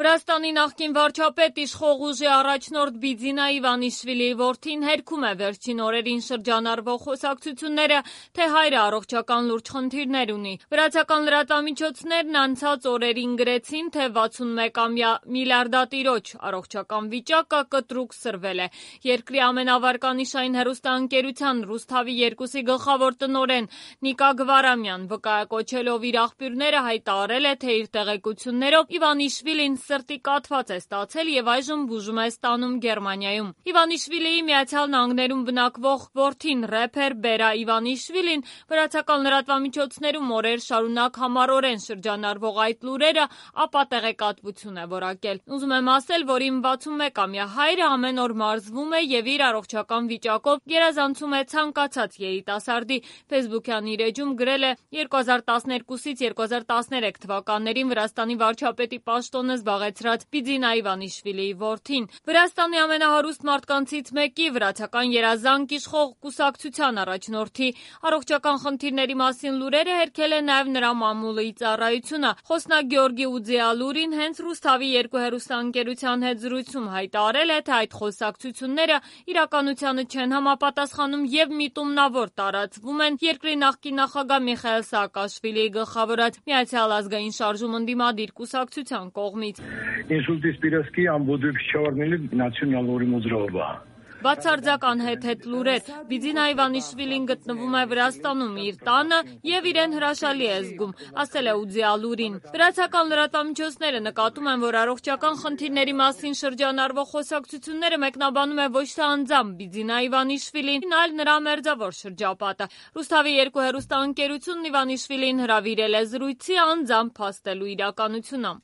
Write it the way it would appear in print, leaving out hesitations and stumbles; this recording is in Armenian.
Վրաստանի նախկին վարչապետ իշխող ուժի առաջնորդ Բիձինա Իվանիշվիլիի որդին հերքում է վերջին օրերին շրջանառվող խոսակցությունները, թե հայրը առողջական լուրջ խնդիրներ ունի։ Վրացական լրատվամիջոցներն անցած օրերին գրեցին, թե 61-ամյա միլիարդատիրոջ առողջական վիճակը կտրուկ սրվել է։ Երկրի ամենավարկանիշային հեռուստաընկերության Ռուսթավի 2-ի գլխավոր տնօրեն Նիկա Գվարամյան վկայակոչելով իր աղբյուրները հայտարարել է, թե իր տեղեկություններով Իվանիշվիլին սրտի կաթված է ստացել եւ այժմ բուժում է ստանում Գերմանիայում։ Իվանիշվիլիի Միացյալ Նահանգներում բնակվող որդին ռեփեր Բերա Իվանիշվիլին վրացական լրատվամիջոցներում օրեր շարունակ համառորեն շրջանառվող այդ լուրերը ապա տեղեկատվություն է որակել։ Ուզում եմ ասել, որ իմ 61-ամյա հայրը ամեն օր մարզվում է եւ իր առողջական վիճակով գերազանցում է ցանկացած երիտասարդի։ Facebook-յան իր էջում գրել է 2012-ից 2013 թվականներին Վրաստանի վարչապետի պաշտոնը զբաղեցրած Բիձինա Իվանիշվիլիի որդին։ Վրաստանի ամենահարուստ մարդկանցից մեկի վրացական երազանք իշխող կուսակցության առաջնորդի առողջական խնդիրների մասին լուրերը հերքել է նաև նրա մամուլի ծառայությունը։ Խոսնակ Գեորգի Ուձիալուրին հենց Ռուսթավի 2 հեռուստաընկերության հետ զրույցում հայտարարել է, թե այդ խոսակցությունները իրականությանը չեն համապատասխանում եւ միտումնավոր տարածվում են երկրի նախկին նախագահ Միխայիլ Սաակաշվիլիի գլխավորած Միացյալ ազգային շարժում ընդդիմադիր կուսակցության կողմից։ Инсульт Спиравский ամբողջ 4 միլիոն նացիոնալ ուրիմոզրովա։ Բացարձակ անհեթեթ լուրեր։ Բիձինա Իվանիշվիլին գտնվում է Վրաստանում իր տանը եւ իրեն հրաշալի է զգում, ասել է Ուձիալուրին։ Վրացական լրատվամիջոցները նկատում են, որ առողջական խնդիրների մասին շրջանառվող խոսակցությունները մեկնաբանում է ոչ թե անձամբ Բիձինա Իվանիշվիլին, այլ նրա մերձավոր շրջապատը։ Ռուսթավի 2 հեռուստաընկերությունն Իվանիշվիլին հրավիրել է զրույցի անձամբ փաստելու իրականությունը։